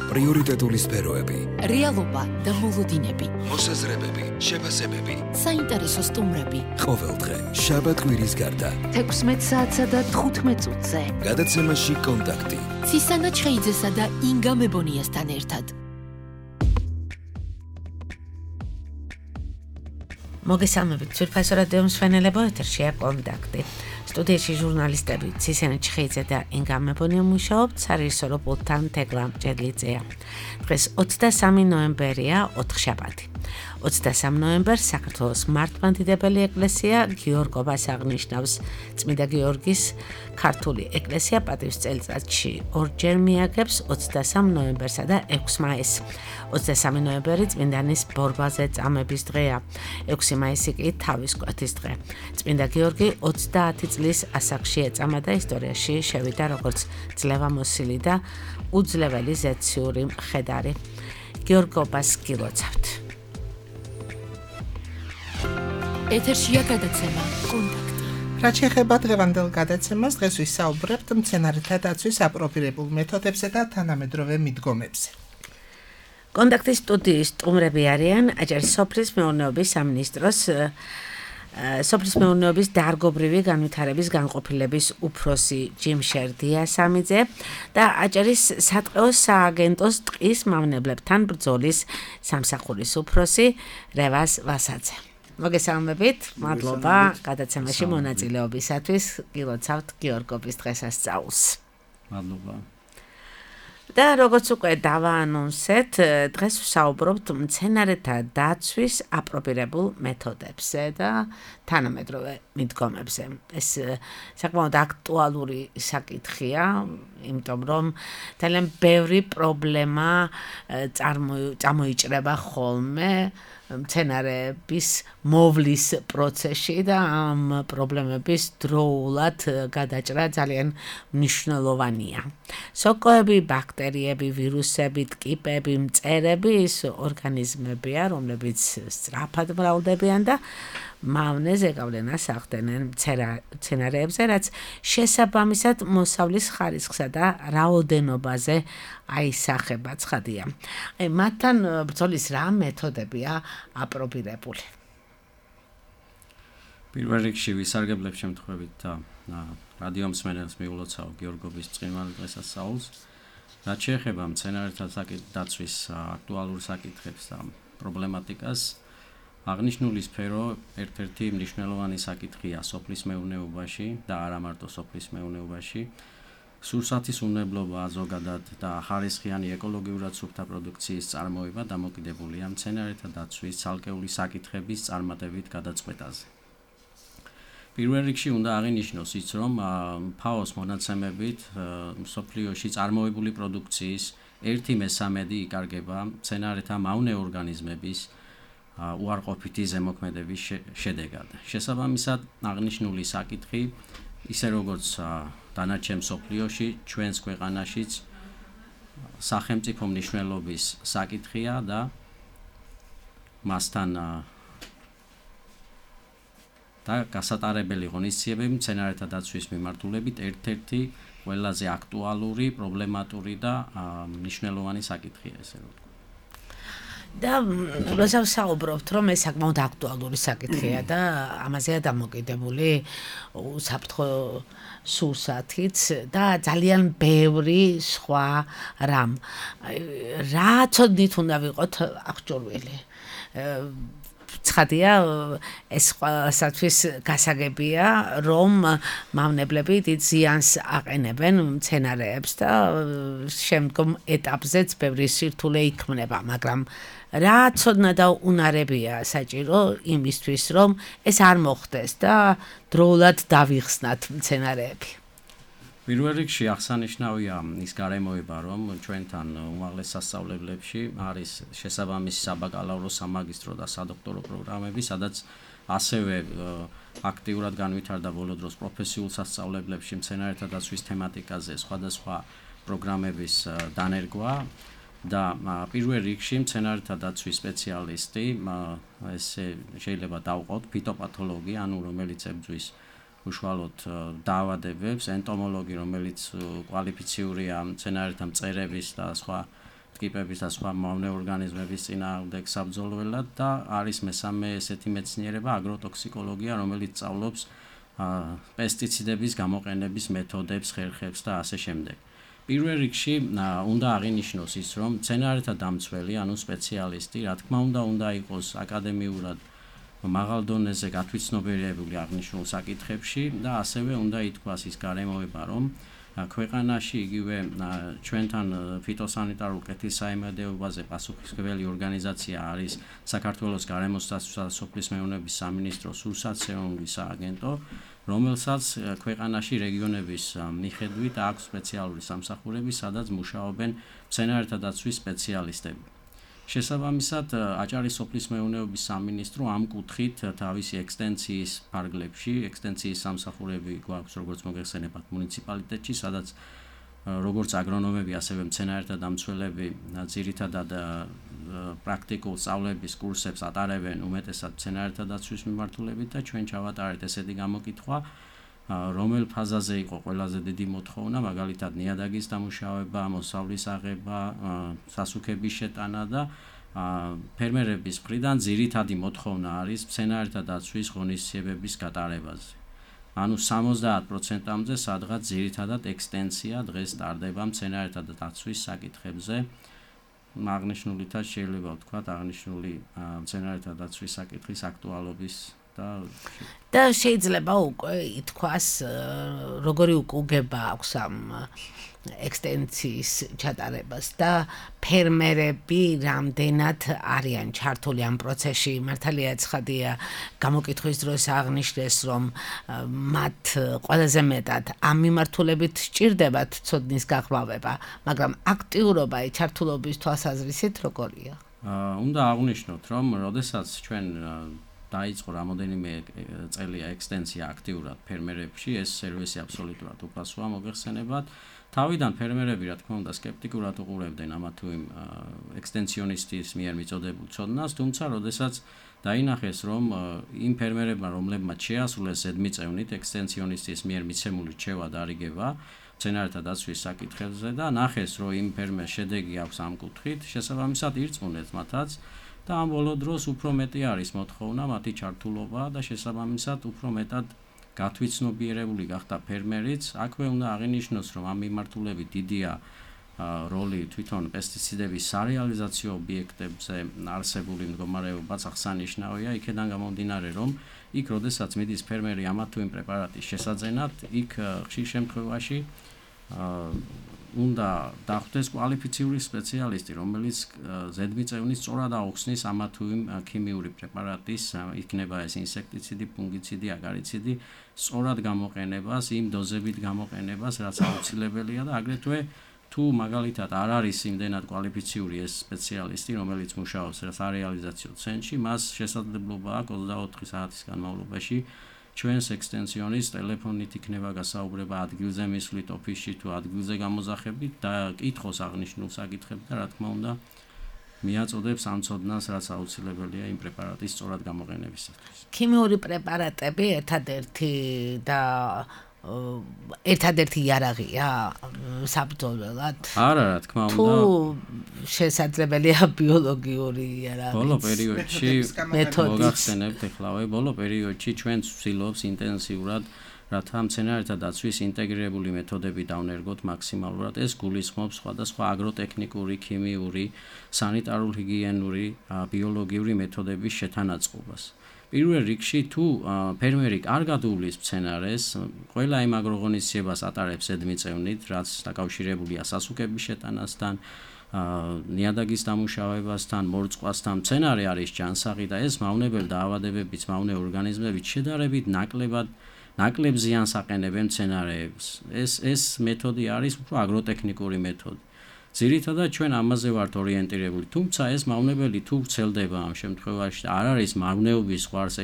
პრიორიტეტული სფეროები, რეალობა და მოლოდინები, მოსაზრებები, შეფასებები, საინტერესო სტუმრები. ყოველდღე, შაბათ-კვირის გარდა, 16 საათსა და 15 წუთზე. გადაცემაში კონტაქტი. ცისანა ჩხეიძესა და ინგა მებონიასთან ერთად. მოგესალმებით, ძვირფასო რადიო მსმენელებო, ეთერშია კონტაქტი. სტუდიაში ჟურნალისტები ცისანა ჩხეიძე და ინგა მებონია მუშაობთ, სარეჟისორო პულტთან თეგლა მჭედლიძეა. დღეს 23 ნოემბერია, ოთხშაბათი. 23 ნოემბერს საქართველოს მართლმადიდებელი ეკლესია გიორგობას აღნიშნავს. წმინდა გიორგის ქართული ეკლესია პატივს წელიწადში ორჯერ მიაგებს 23 ნოემბერსა და 6 მაისს. 23 ნოემბერი წმინდანის ბორბალზე წამების დღეა. 6 მაისი კი თავის კვეთის დღე. წმინდა გიორგი 30 წლის ასაკში ეწამა და ისტორიაში შევიდა როგორც ძლევამოსილი და უძლეველი ზეციური მხედარი. გიორგობას გილოცავთ. ეთერშია გადაცემა კონტაქტი. რაც შეეხება დღევანდელ გადაცემას, დღეს ვისაუბრებთ მცენარეთა დაცვის აპროპირებულ მეთოდებსა და თანამედროვე მიდგომებზე. კონტაქტის სტუდიის სტუმრები არიან აჭარის სოფლის მეურნეობის სამინისტროს სოფლის მეურნეობის დარგობრივი განვითარების განყოფილების უფროსი ჯიმშერ დიასამიძე და აჭარის სატყეო სააგენტოს ტყის მავნებლებთან ბრძოლის სამსახურის უფროსი რევაზ ვასაძე. მოგესალმებით, მადლობა გადაცემაში მონაწილეობისათვის. გილოცავთ გიორგობის დღესასწაულს. მადლობა. და როგორც უკვე დავაანონსეთ, დღეს ვსაუბრობთ მცენარეთა დაცვის აპროპირებულ მეთოდებსა და თანამედროვე მიდგომებზე. ეს საკმაოდ აქტუალური საკითხია, იმიტომ რომ ძალიან ბევრი პრობლემა წამოიჭრება ხოლმე მცენარეების მოვლის პროცესში და ამ პრობლემების დროულად გადაჭრა ძალიან მნიშვნელოვანია. სოკოები, ბაქტერიები, ვირუსები, ტკიპები, მწერები ის ორგანიზმებია, რომლებიც სწრაფად მრავლდებიან და მავნეს ეკავლენას ახდენენ მცენარეებზე, რაც შესაბამისად მოსავლის ხარისხსა და რაოდენობაზე აისახება, ცხადია. მათთან ბრძოლის რა მეთოდებია აპროპირებული? პირველ რიგში ვისარგებლებ შემთხვევით და რადიო მსმენელს მიულოცავ გიორგობის წმინდა დღესასწაულს. რაც შეეხება მცენარეთა დაცვის აქტუალურ საკითხებს და პრობლემატიკას, აღნიშნული სფერო ერთ-ერთი მნიშვნელოვანი საკითხია სოფლის მეურნეობაში და არა მარტო სოფლის მეურნეობაში. სურსათის უნებლობა ზოგადად და ხარისხიანი ეკოლოგიურად სუფთა პროდუქციის წარმოება დამოკიდებულია მცენარეთა დაცვის ცალკეული საკითხების წარმატებით გადაწყვეტაზე. პირველ რიგში უნდა აღინიშნოს ის, რომ FAO-ს მონაცემებით მსოფლიოში წარმოებული პროდუქციის 1/3 იკარგება მცენარეთა მავნე ორგანიზმების უარყოფითი ზემოქმედების შედეგად. შესაბამისად, აღნიშნული საკითხი, ისე როგორც დანარჩენ მსოფლიოში, ჩვენს ქვეყანაშიც სახელმწიფო მნიშვნელობის საკითხია და მასთან და გასატარებელი ღონისძიებები მცენარეთა დაცვის მიმართულებით ერთ-ერთი ყველაზე აქტუალური, პრობლემატური და მნიშვნელოვანი საკითხია, ესე რომ ვთქვა. და როცა ვსაუბრობთ, რომ ეს საკმაოდ აქტუალური საკითხია და ამაზეა დამოკიდებული უსაფრთხო სურსათიც და ძალიან ბევრი სხვა რამ. რა ცოდნით უნდა ვიყოთ აღჭურვილი? ცხადია, ეს ყველასათვის გასაგებია, რომ მავნებლები დიდ ზიანს აყენებენ მცენარეებს და შემდგომ ეტაპზეც ბევრი სირთულე იქმნება, მაგრამ რა ცოდნა და უნარებია საჭირო იმისთვის, რომ ეს არ მოხდეს და დროულად დავიხსნათ მცენარეები? პირველ რიგში აღსანიშნავია ის გარემოება, რომ ჩვენთან უმაღლეს სასწავლებლებში არის შესაბამისი საბაკალავრო, სამაგისტრო და სადოქტორო პროგრამები, სადაც ასევე აქტიურად განვითარდა ბოლო დროს პროფესიულ სასწავლებლებში მცენარეთა დაცვის თემატიკაზე სხვადასხვა პროგრამების დანერგვა და პირველ რიგში მცენარეთა დაცვის სპეციალისტი, ესე შეიძლება დავყოთ ფიტოპათოლოგი, ანუ რომელიც ებრძვის უშუალოდ დაავადებებს, ენტომოლოგი, რომელიც კვალიფიციურია მცენარეთა მწერების და სხვა ტკიპების და სხვა მავნე ორგანიზმების წინააღმდეგ საბრძოლველად და არის მესამე ესეთი მეცნიერება აგროტოქსიკოლოგია, რომელიც სწავლობს პესტიციდების გამოყენების მეთოდებს, ხერხებს და ასე შემდეგ. პირველ რიგში უნდა აღინიშნოს ის, რომ მცენარეთა დამცველი, ანუ სპეციალისტი, რა თქმა უნდა იყოს აკადემიურად მაღალ დონეზე გათვითცნობიერებული აღნიშნულ საკითხებში და ასევე უნდა ითქვას ის გარემოება, რომ ქვეყანაში იგივე ჩვენთან ფიტოსანიტარულ კეთილსაიმედეობაზე პასუხისმგებელი ორგანიზაცია არის საქართველოს გარემოსდაცვისა და სოფლის მეურნეობის სამინისტროს სურსათმცემლობის სააგენტო, რომელსაც ქვეყანაში რეგიონების მიხედვით აქვს სპეციალური სამსახურები, სადაც მუშაობენ მცენარეთა დაცვის სპეციალისტები. შესაბამისად, აჭარის სოფლის მეურნეობის სამინისტრო ამ კუთხით თავისი ექსტენციის ფარგლებში, ექსტენციის სამსახურები გვაქვს, როგორც მოგეხსენებათ, მუნიციპალიტეტში, სადაც როგორც აგრონომები, ასევე მცენარეთა დამცველები ძირითადად პრაქტიკულ სწავლების კურსებს ატარებენ უმეტესად მცენარეთა დაცვის მიმართულებით და ჩვენ ჩავატარეთ ესეთი გამოკითხვა, რომელ ფაზაზე იყო ყველაზე დიდი მოთხოვნა, მაგალითად ნიადაგის დამუშავება, მოსავლის აღება, სასუქების შეტანა და ფერმერების მხრიდან ძირითადი მოთხოვნა არის მცენარეთა დაცვის ღონისძიებების გატარებაზე. ანუ 70%-ამდე სადღაც ძირითადად ექსტენცია დღეს ტარდება მცენარეთა დაცვის საკითხებზე. აღნიშნულითაც შეიძლება ვთქვათ, აღნიშნული მცენარეთა დაცვის საკითხის აქტუალობის და შეიძლება უკვე ითქვას, როგორი უკუგება აქვს ამ ექსტენციის ჩატარებას და ფერმერები რამდენად არიან ჩართული ამ პროცესში. მართალია ცხადია, გამოკითხვის დროს აღნიშნეს, რომ მათ ყველაზე მეტად ამ მიმართულებით სჭირდებათ ცოდნის გაღრმავება, მაგრამ აქტიურობა, ჩართულობის თვალსაზრისით როგორია? უნდა აღვნიშნოთ, რომ როდესაც ჩვენ დაიწყო რამოდენიმე წელია ექსტენცია აქტიურად ფერმერებში, ეს სერვისი აბსოლუტურად უფასოა, მოგეხსენებათ. თავიდან ფერმერები, რა თქმა უნდა, სკეპტიკურად უყურებდნენ ამა თუ იმ ექსტენციონისტის მიერ მიწოდებულ ცოდნას, თუმცა როდესაც დაინახეს, რომ იმ ფერმერებმა, რომლებმაც შეასრულეს ზედმიწევნით ექსტენციონისტის მიერ მიცემული რჩევა დარიგება მცენარეთა დაცვის საკითხებზე და ნახეს, რომ იმ ფერმერს შედეგი აქვს ამ კუთხით, შესაბამისად ირწმუნეს მათაც და ამ ბოლო დროს უფრო მეტი არის მოთხოვნა, მათი ჩართულობა და შესაბამისად უფრო მეტად გათვითცნობიერებული გახდა ფერმერიც. აქვე უნდა აღინიშნოს, რომ ამ მიმართულებით დიდია როლი თვითონ პესტიციდების სარეალიზაციო ობიექტებზე არსებული მდგომარეობაც აღსანიშნავია. იქედან გამომდინარე, რომ იქ როდესაც მიდის ფერმერი ამა თუ იმ პრეპარატის შესაძენად, იქ ხშირ შემთხვევაში უნდა დახვდეს კვალიფიციური სპეციალისტი, რომელიც ზედმიწევნის სწორად აუხსნის ამა თუ იმ ქიმიური პრეპარატის, იქნება ეს ინსექტიციდი, ფუნგიციდი, აგარიციდი, სწორად გამოყენებას, იმ დოზებით გამოყენებას, რაც აუცილებელია და აგრეთვე თუ მაგალითად არ არის იმდენად კვალიფიციური ეს სპეციალისტი, რომელიც მუშაობს სარეალიზაციო ცენტრში, მას შესაძლებლობა აქვს 24 საათის განმავლობაში ჩვენს ექსტენციონის ტელეფონით იქნება გასაუბრება ადგილზე მისვლით ოფისში თუ ადგილზე გამოზახებით და კითხოს აღნიშნულ საკითხებს და რა თქმა უნდა მიაწოდებს ამ ცოდნას, რაც აუცილებელია იმ პრეპარატის სწორად გამოყენებისათვის. ქიმიური პრეპარატები ერთადერთი იარაღია საბრძოლველად? არა, რა თქმა უნდა. თუ შესაძლებელია ბიოლოგიური იარაღი. ბოლო პერიოდში მოგახსენებთ ეხლავე, ბოლო პერიოდში ჩვენ ვცდილობთ ინტენსიურად რათა მცენარეთა დაცვის ინტეგრირებული მეთოდები დავნერგოთ მაქსიმალურად. ეს გულისხმობს სხვადასხვა აგროტექნიკური, ქიმიური, სანიტარულ-ჰიგიენური, ბიოლოგიური მეთოდების შეთანაწყობას. პირველ რიგში თუ ფერმერი კარგად უვლის მცენარეს, ყველა იმ აგროღონისძიებას ატარებს ზედმიწევნით, რაც დაკავშირებულია სასუქების შეტანასთან, ნიადაგის დამუშავებასთან, მორწყვასთან. მცენარე არის ჯანსაღი და ეს მავნებელ დაავადებებით, მავნე ორგანიზმებით შედარებით ნაკლებ ზიანს აყენებენ მცენარეებს. ეს მეთოდი არის უფრო აგროტექნიკური მეთოდი. ძირითადად ჩვენ ამაზე ვართ ორიენტირებული, თუმცა ეს მავნებელი თუ ვრცელდება ამ შემთხვევაში, არ არის მავნეობის ზღვარს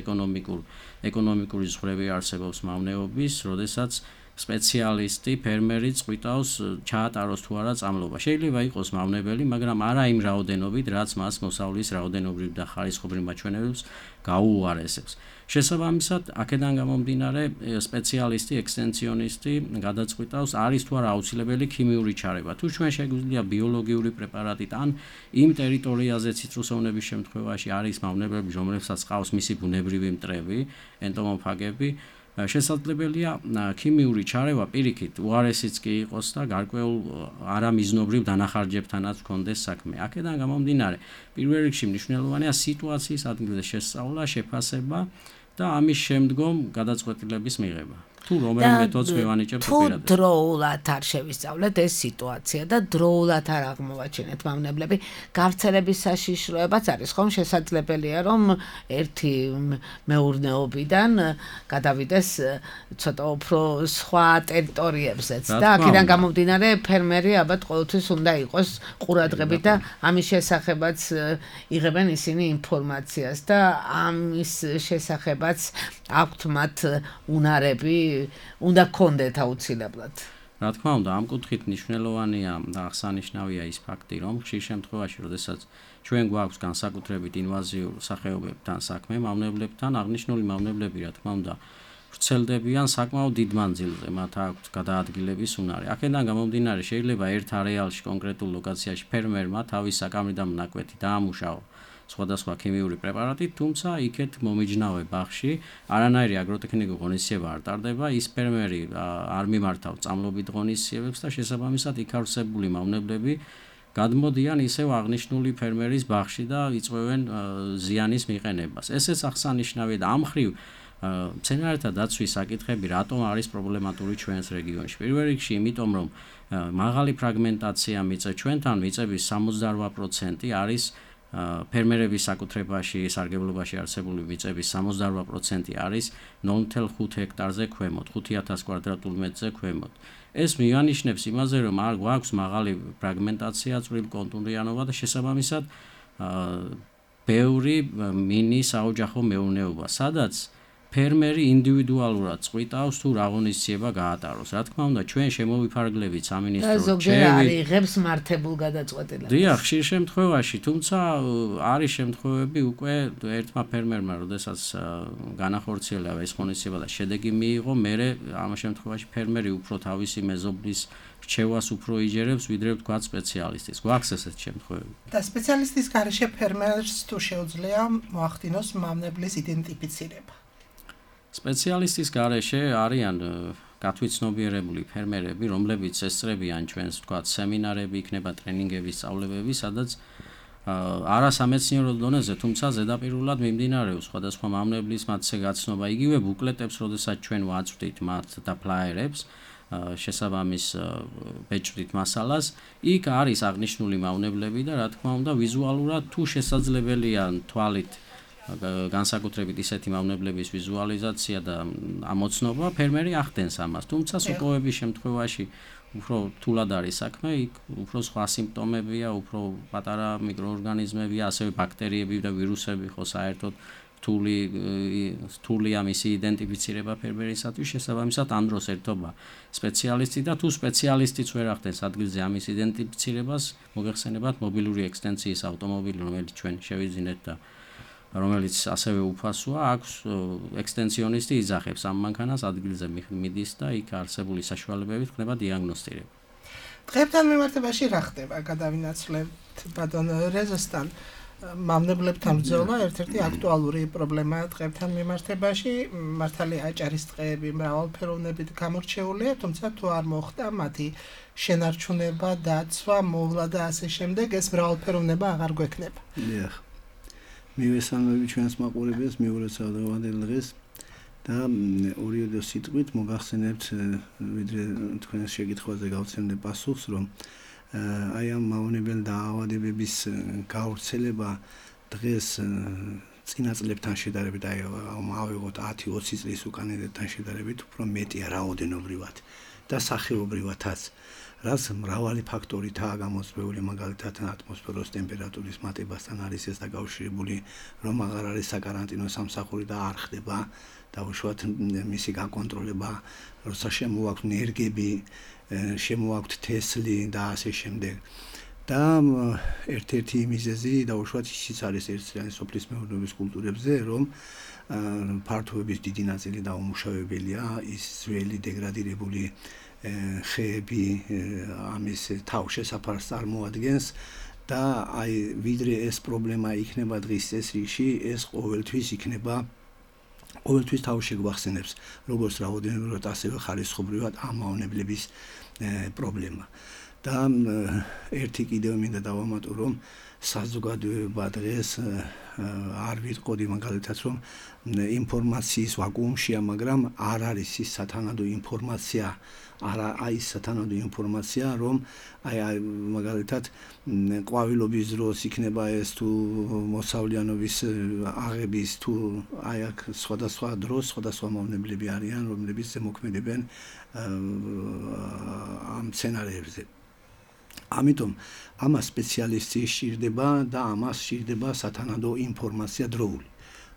ეკონომიკური ზღვრები არსებობს მავნეობის, როდესაც სპეციალისტი, ფერმერი წვითავს ჩაატაროს თუ არა წამლობა. შეიძლება იყოს მავნებელი, მაგრამ არა იმ რაოდენობით, რაც მას მოსავლის რაოდენობრივ და ხარისხობრივ მაჩვენებელს გაუუარესებს. შესაბამისად, აქედან გამომდინარე, სპეციალისტი, ექსტენციონისტი გადაწყვიტავს, არის თუ არა აუცილებელი ქიმიური ჩარევა. თუ ჩვენ შეგვიძლია ბიოლოგიური პრეპარატით ან იმ ტერიტორიაზე ციტრუსოვნების შემთხვევაში არის მავნებლები, რომლებსაც ყავს მისი ბუნებრივი მტრები, ენტომოფაგები, შესაძლებელია ქიმიური ჩარევა პირიქით უარესიც კი იყოს და გარკვეულ არამიზნობრივ დანახარჯებთანაც ჰქონდეს საქმე. აქედან გამომდინარე, პირველ რიგში მნიშვნელოვანია სიტუაციის ადგილზე შესწავლა, შეფასება და ამის შემდგომ გადაწყვეტილების მიღება. თუ რომელი მეთოდს მივანიჭებთ პირადად. თუ დროულად არ შევისწავლეთ ეს სიტუაცია და დროულად არ აღმოვაჩინეთ მავნებლები, გავრცელების საშიშროებაც არის, ხომ შესაძლებელია, რომ ერთი მეურნეობიდან გადავიდეს ცოტა უფრო სხვა ტერიტორიებზეც და აქედან გამომდინარე ფერმერი ალბათ ყოველთვის უნდა იყოს ყურადღებით და ამის შესახებაც იღებენ ისინი ინფორმაციას და ამის შესახებაც აქვთ მათ უნარები უნდა გქონდეთ აუცილებლად. რა თქმა უნდა, ამ კუთხით მნიშვნელოვანია და აღსანიშნავია ის ფაქტი, რომ ხშირ შემთხვევაში, როდესაც ჩვენ გვაქვს განსაკუთრებით ინვაზიურ სახეობებთან საქმე, მავნებლებთან, აღნიშნული მავნებლები, რა თქმა უნდა, ვრცელდებიან საკმაოდ დიდ მანძილზე, მათ აქვს გადაადგილების უნარი. აქედან გამომდინარე, შეიძლება ერთ არეალში, კონკრეტულ ლოკაციაში ფერმერმა თავის საკამრიდან მონაკვეთი დაამუშავა სხვადასხვა ქიმიური პრეპარატით, თუმცა იქეთ მომიჯნავე ბაღში არანაირი აგროტექნიკური ღონისძიება არ ტარდება, ის ფერმერი არ მიმართავ წამლობით ღონისძიებებს და შესაბამისად იქ არსებული მავნებლები გადმოდიან ისევ აღნიშნული ფერმერის ბაღში და იწვევენ ზიანის მიყენებას. ესეც აღსანიშნავია და ამ მხრივ მცენარეთა დაცვის საკითხები რატომ არის პრობლემატური ჩვენს რეგიონში. პირველ რიგში იმიტომ, რომ მაღალი ფრაგმენტაცია მიწა ჩვენთან მიწების 68% არის ფერმერების საკუთრებაში, სარგებლობაში არსებული მიწების 68% არის 0.5 ჰექტარზე ქვემოთ, 5000 კვადრატულ მეტრზე ქვემოთ. ეს მიანიშნებს იმაზე, რომ არ გვაქვს მაღალი ფრაგმენტაცია, წვრილი კონტურიანობა და შესაბამისად ბევრი მინი საოჯახო მეურნეობა, სადაც ფერმერი ინდივიდუალურად წყვიტავს თუ რა ღონისძიება გაატაროს. რა თქმა უნდა, ჩვენ შემოვიფარგლებით სამინისტრო ზოგჯერ არ იღებს მართებულ გადაწყვეტილებას. დიახ, ხშირ შემთხვევაში, თუმცა არის შემთხვევები უკვე ერთმა ფერმერმა, როდესაც განახორციელა ეს ღონისძიება და შედეგი მიიღო, მერე ამ შემთხვევაში ფერმერი უფრო თავისი მეზობლის რჩევას უფრო იჯერებს, ვიდრე ვთქვათ სპეციალისტის. გვაქვს ესეთ შემთხვევები. და სპეციალისტის გარეშე ფერმერს თუ შეუძლია მოახდინოს მავნებლის იდენტიფიცირება. სპეციალისტის გარეშე არიან გათვითცნობიერებული ფერმერები, რომლებიც ესწრებიან ჩვენს ვთქვათ სემინარები, იქნება ტრენინგები, სწავლებები, სადაც არასამეცნიერო დონეზე, თუმცა ზედაპირულად მიმდინარეობს სხვადასხვა მავნებლის მათზე გაცნობა. იგივე ბუკლეტებს, როდესაც ჩვენ ვაწვდით მათ და ფლაიერებს, შესაბამის ბეჭდით მასალას, იქ არის აღნიშნული მავნებლები და რა თქმა უნდა ვიზუალურად თუ შესაძლებელია თვალით განსაკუთრებით ისეთი მავნებლების ვიზუალიზაცია და ამოცნობა, ფერმერი ახდენს ამას. თუმცა სოკოების შემთხვევაში უფრო რთულად არის საქმე, იქ უფრო სხვა სიმპტომებია, უფრო პატარა მიკროორგანიზმებია, ასევე ბაქტერიები და ვირუსები ხო საერთოდ რთულია მისი იდენტიფიცირება ფერმერისათვის, შესაბამისად ამ დროს ერთობა სპეციალისტი და თუ სპეციალისტიც ვერ ახდენს ადგილზე ამის იდენტიფიცირებას, მოგეხსენებათ მობილური ექსტენციის ავტომობილი, რომელიც ჩვენ შევიძინეთ და რომელიც ასევე უფასოა, აქვს ექსტენციონისტი იძახებს ამ მანქანას ადგილზე მიდის და იქ არსებული საშუალებებით ხდება დიაგნოსტირება. დღეებთან მიმართებაში რა ხდება? გადავინაცვლებთ ბატონ რეზოსთან. მავნებლებთან ბრძოლა ერთ-ერთი აქტუალური პრობლემაა დღეებთან მიმართებაში. მართალია აჭარის ტყეები მრავალფეროვნებით გამორჩეულია, თუმცა თუ არ მოხდა მათი შენარჩუნება, დაცვა, მოვლა და ასე შემდეგ, ეს მრავალფეროვნება აღარ გვექნება. დიახ. მივესალმები ჩვენს მაყურებელს, მიულოცავ დღევანდელ დღეს და ორიოდე სიტყვით მოგახსენებთ, ვიდრე თქვენს შეკითხვაზე გავცემდე პასუხს, რომ აი ამ მავნებელ დაავადებების გავრცელება დღეს წინა წლებთან შედარებით, აი ავიღოთ 10-20 წლის უკანასკნელთან შედარებით უფრო მეტია რაოდენობრივად და სახეობრივადაც. რაც მრავალი ფაქტორითაა გამოწვეული, მაგალითად ატმოსფეროს ტემპერატურის მატებასთან არის ეს დაკავშირებული, რომ აღარ არის საკარანტინო სამსახური და არ ხდება დაუშვათ მისი გაკონტროლება, როცა შემოაქვთ ნერგები, შემოაქვთ თესლი და ასე შემდეგ. და ერთ-ერთი მიზეზი დაუშვათ ისიც არის ერთწლიანი სოფლის მეურნეობის კულტურებზე, რომ ფართოების დიდი ნაწილი დაუმუშავებელია, ის ძველი დეგრადირებული ხეები ამის თავშესაფარს წარმოადგენს და აი ვიდრე ეს პრობლემა იქნება დღის წესრიგში, ეს ყოველთვის იქნება ყოველთვის თავში გვახსენებს როგორც რაოდენობრივად ასევე ხარისხობრივად ამ მავნებლების პრობლემა. და ერთი კიდევ მინდა დავამატო, რომ საზოგადოება დღეს არ ვიტყოდი მაგალითად, რომ ინფორმაციის ვაკუუმშია, მაგრამ არ არის ის სათანადო ინფორმაცია, აი ის სათანადო ინფორმაცია, რომ აი მაგალითად ყვავილობის დროს იქნება ეს თუ მოსავლიანობის აღების თუ აი აქ სხვადასხვა დროს სხვადასხვა მავნებლები არიან, რომლებიც ზემოქმედებენ ამ სცენარებზე. ამიტომ ამას სპეციალისტი სჭირდება და ამას სჭირდება სათანადო ინფორმაცია დროული.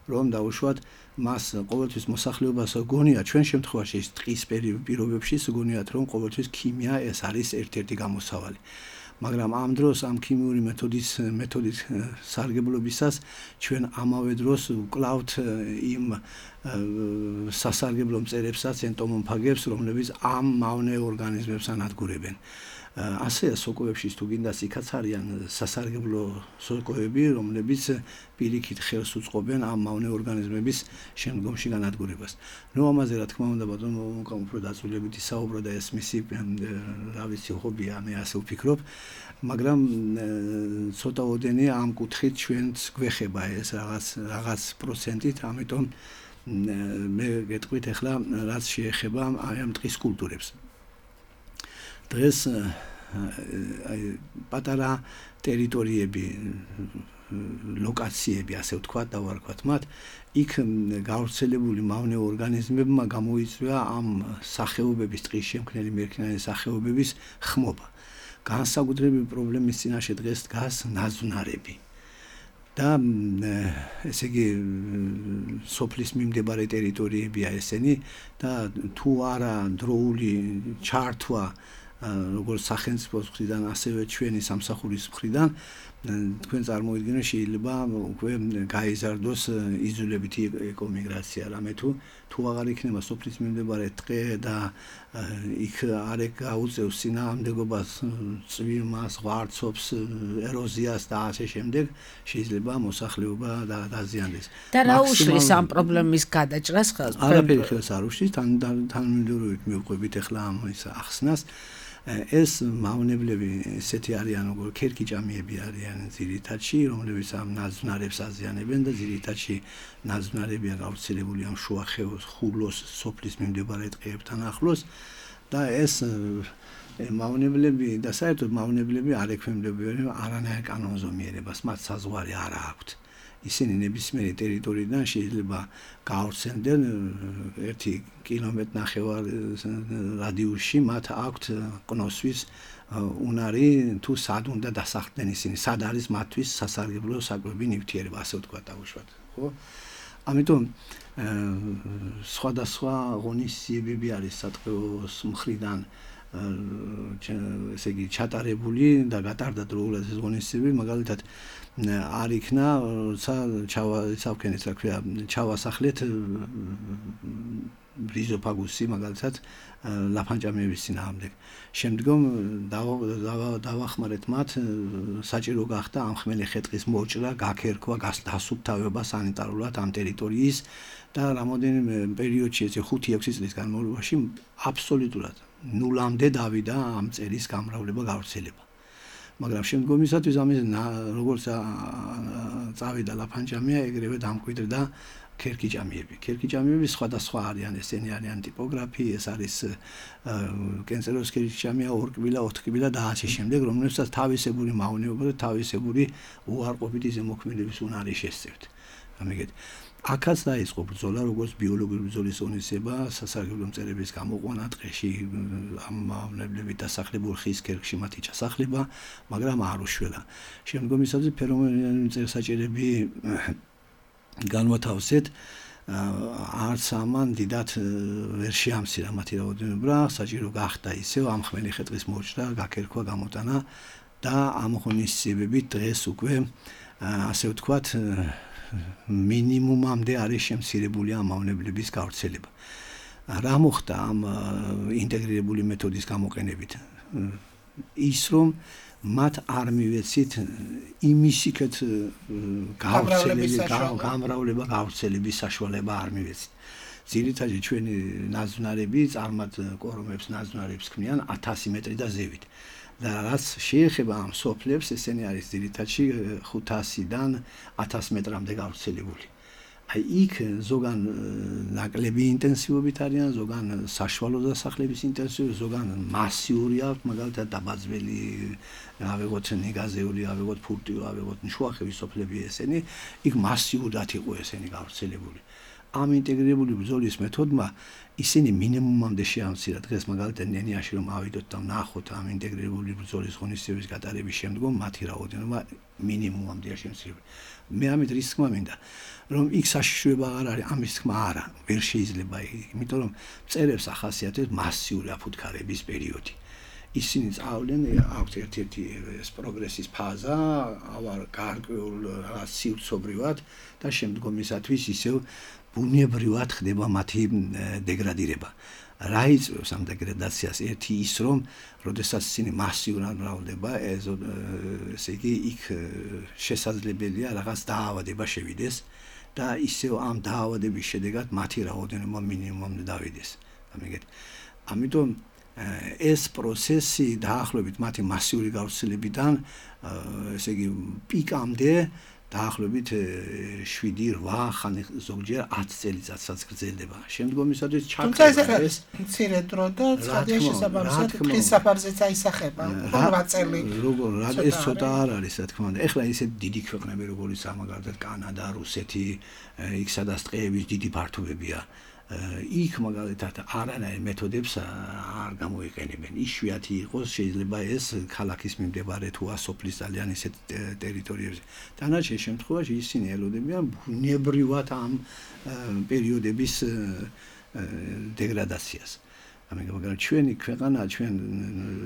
რომ დაუშვათ მას ყოველთვის მოსახლეობას გონია, ჩვენ შემთხვევაში ტყის პირობებში გონიათ, რომ ყოველთვის ქიმია ეს არის ერთ-ერთი გამოსავალი. მაგრამ ამ დროს ამ ქიმიური მეთოდით სარგებლობისას ჩვენ ამავე დროს ვკლავთ იმ სასარგებლო მწერებსაც, ენტომოფაგებს, რომლებიც ამ მავნე ორგანიზმებს ანადგურებენ. ასე სოკოებში თუ გინდას იქაც არიან სასარგებლო სოკოები, რომლებიც პირიქით ხელს უწყობენ ამ მავნე ორგანიზმების შემდგომში განადგურებას. ნუ ამაზე რა თქმა უნდა ბატონო უფრო დაწვრილებით ისაუბრა და ეს მისი რა ვიცი ჰობია, მე ასე ვფიქრობ, მაგრამ ცოტაოდენი ამ კუთხით ჩვენც გვეხება ეს რაღაც პროცენტით, ამიტომ მე გეტყვით ახლა რაც შეეხება აი ამ ტყის კულტურებს. დღეს აი პატარა ტერიტორიები, ლოკაციები, ასე ვთქვათ, დავარქვათ მათ, იქ გავრცელებული მავნე ორგანიზმებმა გამოიწვია ამ სახეობების, ტყის შემქმნელი მერქნიანი სახეობების ხმობა. განსაკუთრებული პრობლემის წინაშე დღეს დგას ნაძვნარები. და ესე იგი სოფლის მიმდებარე ტერიტორიებია ესენი და თუ არა დროული ჩართვა როგორც სახელმწიფოს მხრიდან, ასევე ჩვენი სამსახურის მხრიდან, თქვენ წარმოიდგინეთ, შეიძლება უკვე გაიზარდოს იზოლებითი ეკომიგრაცია, რამე თუ აღარ იქნება სოფლის მიმდებარე ტყე და იქ არ გაუწევს წინააღმდეგობას, წვიმას, ღვარცობს, ეროზიას და ასე შემდეგ, შეიძლება მოსახლეობა დაზიანდეს. და რა უშლის ამ პრობლემის გადაჭრას ხელს? არაფერი ხელს არ უშლის, თანმიმდევრობით მივყვებით ახლა ამ ახსნას. ეს მავნებლები ესეთი არიან, როგორ ქერქიჭამიები არიან ძირითადში, რომლებიც ამ ნაძვნარებს აზიანებენ და ძირითადში ნაძვნარებია გავრცელებული ამ შუახევოს, ხულოს, სოფლის მიმდებარე ტყეებთან ახლოს და ეს მავნებლები და საერთოდ მავნებლები არ ექვემდებარებიან არანაირ კანონზომიერებას, მათ საზღვარი არ აქვთ. ისინი ნებისმიერი ტერიტორიიდან შეიძლება გავრცელდნენ 1 კილომეტრ-ნახევარ რადიუსში, მათ აქვთ ყნოსვის უნარი თუ სად უნდა დასახლდნენ ისინი, სად არის მათთვის სასარგებლო საკვები ნივთიერება, ასე ვთქვათ დაუშვათ, ხო? ამიტომ სხვადასხვა ღონისძიებები არის სატყეოს მხრიდან ესე იგი ჩატარებული და გატარდა დროულად ეს ღონისძიებები, მაგალითად არ იქნა, როცა ჩავასახლეთ, რა ქვია, ჩავასახლეთ ბრიზოფაგუსი მაგალითად ლაფანჭამიების წინააღმდეგ. შემდგომ დავახმარეთ მათ, საჭირო გახდა ამ ხმელი ხე-ტყის მოჭრა, გაქერქვა, დასუფთავება სანიტარულად ამ ტერიტორიის და რამოდენიმე პერიოდში, ესე 5-6 წლის განმავლობაში აბსოლუტურად ნულამდე დავიდა ამ წერის გამრავლება, გავრცელება. მაგრამ შემდგომისათვის ამის როგორც წავიდა ლაფანჭამია, ეგრევე დამკვიდრდა ქერქიჭამიები. ქერქიჭამიები სხვადასხვა არიან, ესენი არიან ტიპოგრაფი, ეს არის კენწეროს ქერქიჭამია, ორკბილა, ოთხკბილა და ასე შემდეგ, რომლებსაც თავისებური მავნეობა და თავისებური უარყოფითი ზემოქმედების უნარი შესწევთ. ამიგეთ. აქაც დაიწყო ბრძოლა, როგორც ბიოლოგიური ბრძოლის ღონისება, სასარგებლო მწერების გამოყვანა ტყეში, ამ მავნებლებით დასახლებულ ხის ქერქში მათი ჩასახლება, მაგრამ არ უშველა. შემდგომისათვის ფერომონიანი მწერსაჭერები განვათავსეთ, არც ამან დიდად ვერ შეამცირა მათი რაოდენობა, საჭირო გახდა ისევ ამ ხმელი ხე-ტყის მოჭრა, გაქერქვა, გამოტანა და ამ ღონისძიებებით დღეს უკვე ასე ვთქვათ მინიმუმამდე არის შემცირებული ამ მავნებლების გავრცელება. რა მოხდა ამ ინტეგრირებული მეთოდის გამოყენებით? ის რომ მათ არ მივეცით იმისიქეთ გამრავლება გავრცელების საშუალება არ მივეცით. ძირითადად ჩვენი ნაძვნარები წარმად კორომებს ნაძვნარებს ქმნიან 1000 მეტრი და ზევით. და რაც შეეხება ამ სოფლებს, ესენი არის ძირითადში 500-დან 1000 მეტრამდე გავრცელებული. აი იქ ზოგან ნაკლები ინტენსივობით არიან, ზოგან საშუალო დასახლების ინტენსივობით, ზოგან მასიური აქვს, მაგალითად დაბაძველი, ავიღოთ ნიგაზეული, ავიღოთ ფურტიო, ავიღოთ შუახევის სოფლები ესენი, იქ მასიურად იყო ესენი გავრცელებული. ამ ინტეგრირებული ბრძოლის მეთოდმა ისინი მინიმუმამდე შეამცირა. დღეს მაგალითად ნენიაში რომ ავიდოთ და ვნახოთ ამ ინტეგრირებული ბრძოლის ღონისძიების გატარების შემდგომ მათი რაოდენობა მინიმუმამდე შემცირდა. მე ამით რის თქმა მინდა რომ იქ საშიშროება არ არის, ამის თქმა არა, ვერ შეიძლება, იმიტომ რომ მწერებს ახასიათებს მასიური აფუთხარების პერიოდი. ისინი წავლენ აქვს ერთ-ერთი ეს პროგრესის ფაზა, ავარ გარკვეულ რაღაც სივრცობრივად და შემდგომისათვის ისევ ბუნებრივად ხდება მათი დეგრადირება. რა იწვევს ამ დეგრადაციას? ერთი ის რომ როდესაც ისინი მასიურად მრავლდება, ესე იგი იქ შესაძლებელია რაღაც დაავადება შევიდეს და ისევ ამ დაავადების შედეგად მათი რაოდენობა მინიმუმამდე დავიდეს. ამიტომ ეს პროცესი დაახლოებით მათი მასიური გავრცელებიდან ესე იგი პიკამდე დაახლოებით 7-8 ხანი ზოგჯერ 10 წელიწადსაც გრძელდება. შემდგომისათვის ჩაქრება ეს მცირე დრო და ცხადია შესაბამისად დღის საფარზეც აისახება 8 წელი. როგორ ეს ცოტა არ არის, რა თქმა უნდა. ეხლა ისეთ დიდი ქვეყნები როგორიც მაგალითად კანადა, რუსეთი, იქ სადაც ტყეების დიდი ფართობებია. იქ მაგალითად არანაირ მეთოდებს არ გამოიყენებენ. იშვიათი იყოს შეიძლება ეს ქალაქის მიმდებარე თუ ასოფლის ძალიან ისეთ ტერიტორიებზე. დანარჩენ შემთხვევაში ისინი ელოდებიან ბუნებრივად ამ პერიოდების დეგრადაციას. მაგრამ ჩვენი ქვეყანა, ჩვენ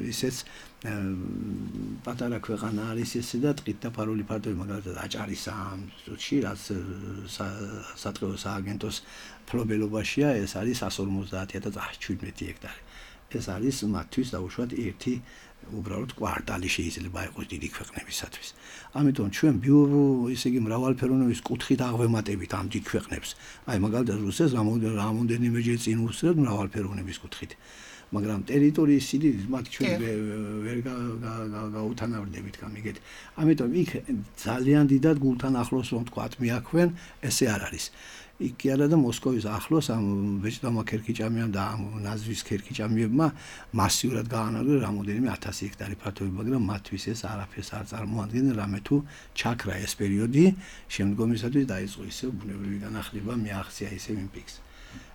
ისეც პატარა ქვეყანა არის ესე და ტყით დაფარული ფართობი მაგალითად აჭარის ამ წუთში, რაც სატყეო სააგენტოს ფლობელობაშია, ეს არის 150,117 ჰექტარი. ეს არის მათთვის დაუშვათ ერთი უბრალოდ კვარტალი შეიძლება იყოს დიდი ქვეყნებისათვის. ამიტომ ჩვენ ისე იგი მრავალფეროვნების კუთხით აღვემატებით ამ დიდ ქვეყნებს. აი მაგალითად რუსეთს რამოდენიმეჯერ წინ უსწრებთ მრავალფეროვნების კუთხით. მაგრამ ტერიტორიის სიდიდით მათ ჩვენ ვერ გაუთანაბრდებით გამიგეთ. ამიტომ იქ ძალიან დიდად გულთან ახლოს რომ თქვათ მიაქვენ, ესე არ არის. იქ კი არა და მოსკოვის ახლოს ამ ვეჭდამა ქერქიჭამიამ და ამ ნაზვის ქერქიჭამიებმა მასიურად გაანადგურა რამოდენიმე 1000 ჰექტარი ფართობი, მაგრამ მათთვის ეს არაფერს არ წარმოადგენენ, რამე თუ ჩაქრა ეს პერიოდი, შემდგომისათვის დაიწყო ისევ ბუნებრივი განახლება, მიაღწია ისევ იმ პიკს.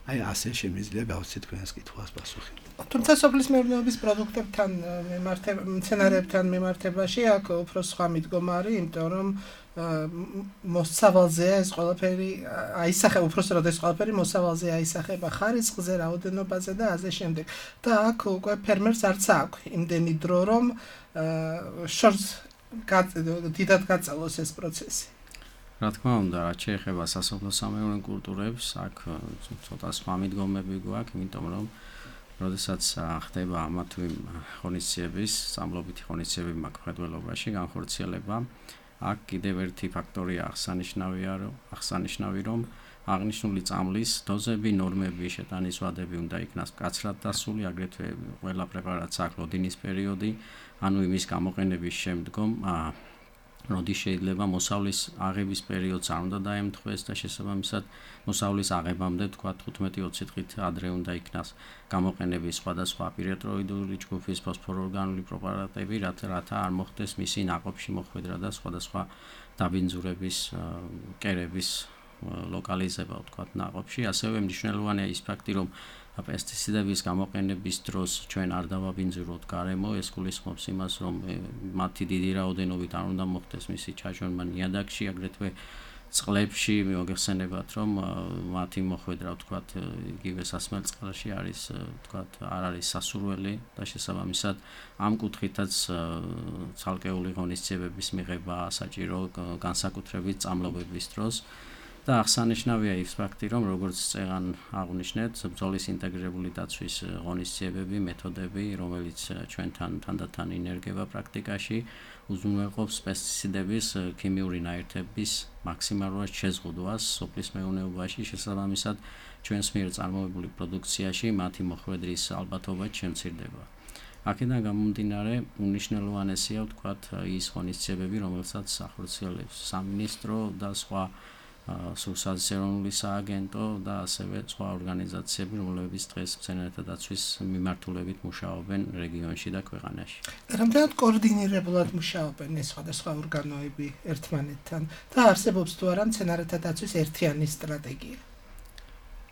აი ასე შემიძლია გავცეთ თქვენს კითხვას პასუხი. თუმცა სოფლის მეურნეობის პროდუქტებთან მცენარეებთან მიმართებაში აქ უფრო სხვა მიდგომა არის, იმიტომ რომ მოსავალზეა ეს ყველაფერი აისახება, უბრალოდ ეს ყველაფერი მოსავალზე აისახება ხარისხზე, რაოდენობაზე და ასე შემდეგ. და აქ უკვე ფერმერს არც აქვს იმდენი დრო, რომ შორს დიდად გაწელოს ეს პროცესი. რა თქმა უნდა, რაც შეეხება სასოფლო-სამეურნეო კულტურებს, აქ ცოტა სხვა მიდგომები გვაქვს, იმიტომ რომ როდესაც ხდება ამა თუ იმ ღონისძიების, სამლობითი ღონისძიების მაკრედველობაში განხორციელება, აქ კიდევ ერთი ფაქტორია აღსანიშნავი, რომ აღნიშნული წამლის დოზები, ნორმები, შეტანის ვადები უნდა იქნას მკაცრად დასული, აგრეთვე ყველა პრეპარატს აქვს ლოდინის პერიოდი, ანუ იმის გამოყენების შემდგომ როდის შეიძლება მოსავლის აღების პერიოდს არ უნდა დაემთხვეს და შესაბამისად მოსავლის აღებამდე თქვა 15-20 დღით ადრე უნდა იქნას გამოყენების სხვადასხვა პირეტროიდული ჯგუფის ფოსფორორგანული პრეპარატები, რათა არ მოხდეს მისი ნაყოფში მოხვედრა და სხვადასხვა დაბინძურების კერების ლოკალიზება ვთქვათ ნაყოფში, ასევე მნიშვნელოვანია ის ფაქტი, რომ პესტიციდების გამოყენების დროს ჩვენ არ დავაბინძუროთ გარემო, ეს გულისხმობს იმას, რომ მათი დიდი რაოდენობით არ უნდა მოხდეს მისი ჩაჟორმა ნიადაგში, აგრეთვე წყლებში მოგეხსენებათ, რომ მათი მოხვედრა, ვთქვათ, იგივე სასმელწყალში არის, ვთქვათ, არ არის სასურველი და შესაბამისად ამ კუთხითაც ცალკეული ღონისძიებების მიღება საჭირო განსაკუთრებით წამლობების დროს. და აღსანიშნავია ის ფაქტი, რომ როგორც წეგან აღნიშნეთ, ბრძოლის ინტეგრირებული დაცვის ღონისძიებები, მეთოდები, რომელიც ჩვენთან თანდათან ინერგება პრაქტიკაში, უზრუნველყოფს პესტიციდების ქიმიური ნაერთების მაქსიმალურად შეზღუდვას სოფლის მეურნეობაში, შესაბამისად ჩვენს მიერ წარმოებული პროდუქციაში მათი მოხვედრის ალბათობა შემცირდება. აქედან გამომდინარე, უნიშნელოვანესია, ვთქვათ, ის ღონისძიებები, რომელსაც ახორციელებს სამინისტრო და სხვა სოციალურ ეროვნული სააგენტო და ასევე სხვა ორგანიზაციები, რომლებიც დღეს მცენარეთა დაცვის მიმართულებით მუშაობენ რეგიონში და ქვეყანაში. რამდენად კოორდინირებულად მუშაობენ ეს სხვადასხვა ორგანოები ერთმანეთთან და არსებობს თუ არა მცენარეთა დაცვის ერთიანი სტრატეგია?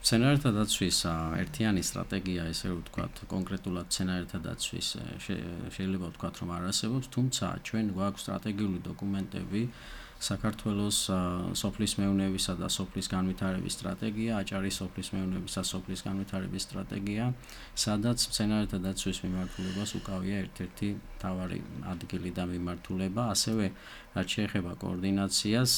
მცენარეთა დაცვის ერთიანი სტრატეგია, ესე რომ ვთქვათ, კონკრეტულად მცენარეთა დაცვის შეიძლება ვთქვათ, რომ არ არსებობს, თუმცა ჩვენ გვაქვს სტრატეგიული დოკუმენტები საქართველოს სოფლის მეურნეობისა და სოფლის განვითარების სტრატეგია, აჭარის სოფლის მეურნეობისა და სოფლის განვითარების სტრატეგია, სადაც მცენარეთა დაცვის მიმართულებას უკავია ერთ-ერთი მთავარი ადგილი და მიმართულება, ასევე რაც შეეხება კოორდინაციას,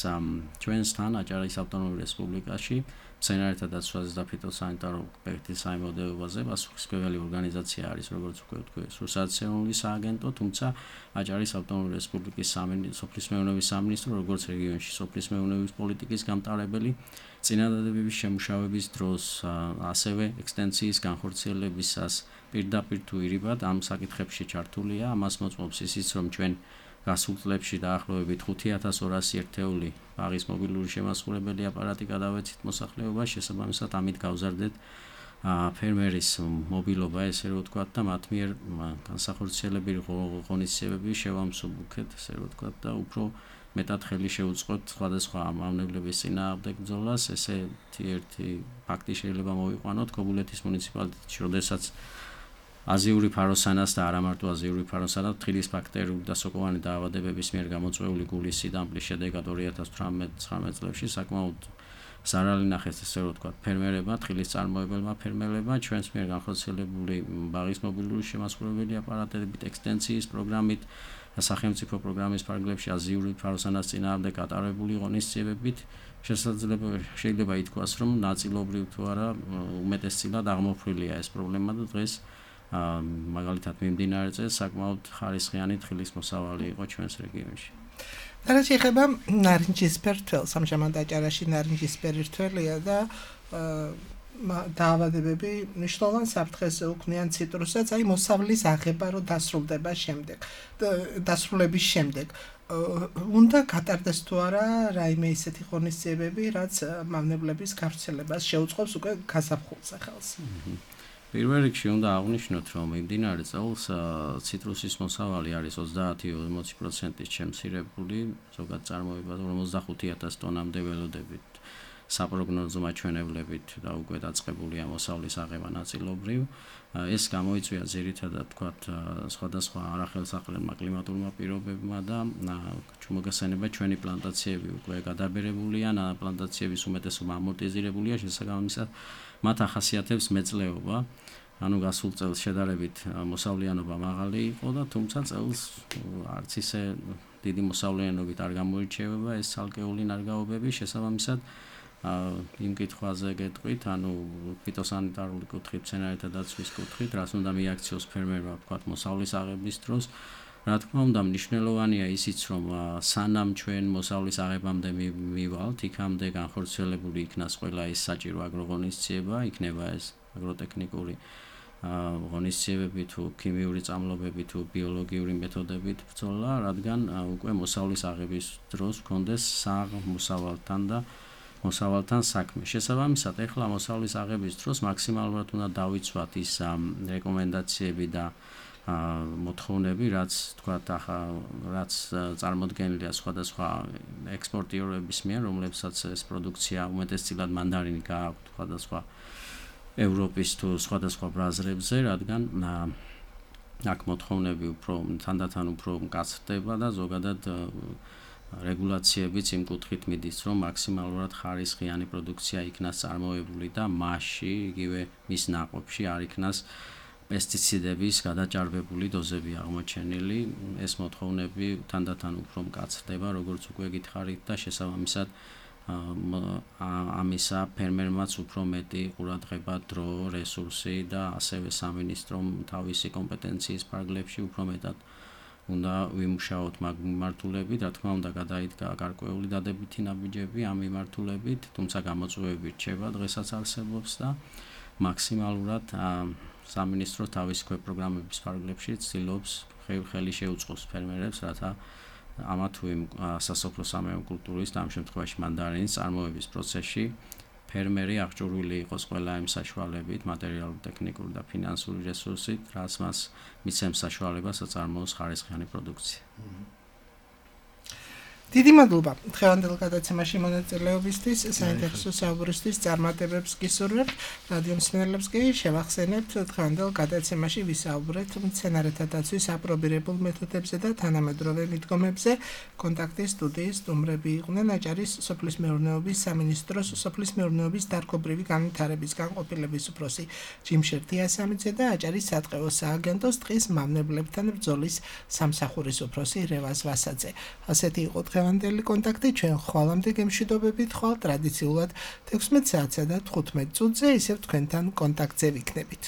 ჩვენსთან აჭარის ავტონომურ რესპუბლიკაში მცენარეთა დაცვაზე და ფიტოსანიტარო პროექტის საიმედოებაზე პასუხისმგებელი ორგანიზაცია არის, როგორც უკვე ვთქვი, სოციალურ ეროვნული სააგენტო, თუმცა აჭარის ავტონომური რესპუბლიკის სოფლის მეურნეობის სამინისტრო, როგორც რეგიონში სოფლის მეურნეობის პოლიტიკის გამტარებელი, წინადადებების შემუშავების დროს, ასევე ექსტენსიის განხორციელებისას პირდაპირ თუ ირიბად ამ საკითხებში ჩართულია, ამას მოწმობს ისიც, რომ ჩვენ გასულ წლებში დაახლოებით 5200 ერთეული ბაღის მობილური შემასრულებელი აპარატი გადავეცით მოსახლეობას, შესაბამისად ამით გავზარდეთ ფერმერის მობილობა, ესე რომ ვთქვათ, და მათ მიერ განსახორციელებელი ღონისძიებები შევამსუბუქეთ, ესე რომ ვთქვათ, და უფრო მეტად ხელი შევუწყოთ სხვადასხვა მავნებლების წინააღმდეგ ბრძოლას. ესეთი ერთი ფაქტი შეიძლება მოვიყვანოთ ქობულეთის მუნიციპალიტეტში, როდესაც აზიური ფაროსანას და არა მარტო აზიური ფაროსანას თხილის ბაქტერიული და სოკოვანი დაავადებების მიერ გამოწვეული გულის სიდამპლის შედეგად 2018-19 წლებში საკმაოდ ზარალი ნახეს, ესე რომ ვთქვათ, ფერმერებმა, თხილის წარმოებელმა ფერმერებმა, ჩვენს მიერ განხორციელებული ბაღის მობილური შემასრულებელი აპარატებით, ექსტენსიის პროგრამით, სახელმწიფო პროგრამის ფარგლებში აზიური ფაროსანას წინააღმდეგ გატარებული ღონისძიებებით შეიძლება ითქვას, რომ ნაწილობრივ თუ არა უმეტესწილად აღმოფხვრილია ეს პრობლემა და დღეს მაგალითად მიმდინარე წელს საკმაოდ ხარისხიანი თხილის მოსავალი იყო ჩვენს რეგიონში. და რაც შეეხება ნარინჯისფერ თველს, ამჟამად აჭარაში ნარინჯისფერი თველია და დაავადებები მნიშვნელოვან საფრთხეზე უქმნიან ციტრუსებს, აი მოსავლის აღება რო დასრულების შემდეგ. უნდა გატარდეს თუ არა რაიმე ისეთი ღონისძიებები, რაც მავნებლების გავრცელებას შეუწყობს უკვე გაზაფხულზე ხელს. პირველ რიგში უნდა აღვნიშნოთ, რომ მიმდინარე წელს ციტრუსის მოსავალი არის 30-40%-ით შემცირებული, ზოგად წარმოება 55000 ტონამდე ველოდებით. საპროგნოზო მაჩვენებლებით და უკვე დაწყებულია მოსავლის აღება ნაწილობრივ. ეს გამოიწვია ძირითადად, თქვათ, სხვადასხვა არახელსაყრელმა კლიმატურმა პირობებმა და მოგესალმება ჩვენი პლანტაციები უკვე გადაბერებულია, პლანტაციების უმეტესობა ამორტიზირებულია, შესაბამისად მათ ახასიათებს მეწლეობა. ანუ გასულ წელს შედარებით მოსავლიანობა მაღალი იყო და თუმცა წელს არც ისე დიდი მოსავლიანობით არ გამოირჩევა ეს ცალკეული ნარგავობები, შესაბამისად იმ კითხვაზე გეტყვით, ანუ ფიტოსანიტარული კუთხით, მცენარეთა დაცვის კუთხით, რაც უნდა მიაქციოს ფერმერმა, ვთქვათ, მოსავლის აღების დროს. რა თქმა უნდა, მნიშვნელოვანია ისიც, რომ სანამ ჩვენ მოსავლის აღებამდე მივალთ, იქამდე განხორციელებული იქნას ყველა ის საჭირო აგროღონისძიება, იქნება ეს აგროტექნიკური ღონისძიებები თუ ქიმიური წამლობები თუ ბიოლოგიური მეთოდებით ბრძოლა, რადგან უკვე მოსავლის აღების დროს გქონდეს მოსავალთან საქმე. შესაბამისად, ეხლა მოსავლის აღების დროს მაქსიმალურად უნდა დავიცვათ ის რეკომენდაციები და მოთხოვნები, რაც თქვათ ახლა რაც წარმოდგენილია სხვადასხვა ექსპორტიორების მიერ, რომლებსაც ეს პროდუქცია უმეტესწილად მანდარინი გააქვთ სხვადასხვა ევროპის თუ სხვადასხვა ბრაზრებზე, რადგან აქ მოთხოვნები უფრო თანდათან უფრო მკაცრდება და ზოგადად რეგულაციებიც იმ კუთხით მიდის, რომ მაქსიმალურად ხარისხიანი პროდუქცია იქნას წარმოებული და მასში, იგივე მის ნაყოფში არ იქნას პესტიციდების გადაჭარბებული დოზები აღმოჩენილი. ეს მოთხოვნები თანდათან უფრო მკაცრდება, როგორც უკვე გითხარით და შესაბამისად ამისა ფერმერმაც უფრო მეტი ყურადღება, დრო, რესურსი და ასევე სამინისტრომ თავისი კომპეტენციის ფარგლებში უფრო მეტად უნდა ვიმუშაოთ მაგ მიმართულებით, რა თქმა უნდა გადაიდგა გარკვეული დადებითი ნაბიჯები ამ მიმართულებით, თუმცა გამოწვევები რჩება დღესაც არსებობს და მაქსიმალურად სამინისტრო თავის პროგრამების ფარგლებში ცდილობს ხელი შეუწყოს ფერმერებს, რათა ამა თუ იმ სასოფლო-სამეურნეო კულტურის და ამ შემთხვევაში მანდარინის წარმოების პროცესში ფერმერი აღჭურვილი იყოს ყველა იმ საშუალებით, მატერიალური, ტექნიკური და ფინანსური რესურსით, რაც მას მიცემს საშუალებას აწარმოოს ხარისხიანი პროდუქცია. დიდი მადლობა დღევანდელ გადაცემაში მონაწილეობისთვის, საინტერესო საუბრისთვის, წარმატებებს გისურვებთ. რადიო მსმენელებს კი შევახსენებთ დღევანდელ გადაცემაში ვისაუბრეთ მცენარეთა დაცვის აპრობირებულ მეთოდებზე და თანამედროვე მიდგომებზე. კონტაქტის სტუდიის სტუმრები იყვნენ აჭარის სოფლის მეურნეობის სამინისტროს სოფლის მეურნეობის დარგობრივი განვითარების განყოფილების უფროსი ჯიმშერ თიასამიძე და აჭარის სატყეო სააგენტოს ტყის მავნებლებთან ბრძოლის სამსახურის უფროსი რევაზ ვასაძე. ასეთი იყო დღევანდელი კონტაქტი, ჩვენ ხვალამდე გემშვიდობებით ხვალ ტრადიციულად 16 საათსა და 15 წუთზე ისევ თქვენთან კონტაქტზე ვიქნებით.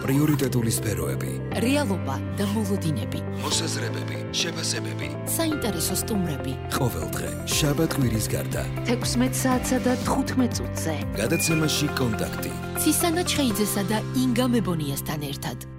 პრიორიტეტული სფეროები, რეალობა და მოლოდინები, მოსაზრებები, შეფასებები, საინტერესო სტუმრები. ყოველდღე შაბათ-კვირის გარდა 16 საათსა და 15 წუთზე. გადაცემაში კონტაქტი. ცისანა ჩხეიძესა და ინგა მებონიასთან ერთად.